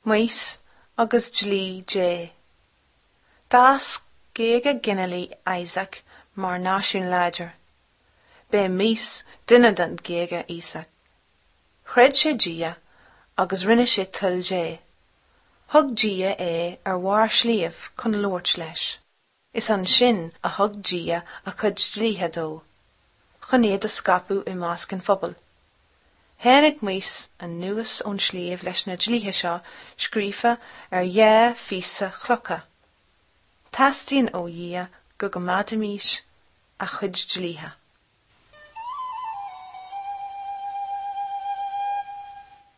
Maois agus Dlí Dé. D'fhás géaga ginealaigh Isaac mar náisiún láidir. B'é Maois duine den ghéaga Íosaac. Chreid sé Dia agus rinne sé toil Dé. Thug Dia é ar bharr sliabh chun labhairt leis. Is ansin a thug Dia a chuid dlíthe dó, chun iad a scaipeadh i measc an phobail. Tháinig Maois anuas ón sliabh leis na dlíthe seo scríofa ar dhá phíosa chlocha. Teastaíonn ó Dhia go gcoimeádfaimis a chuid dlíthe.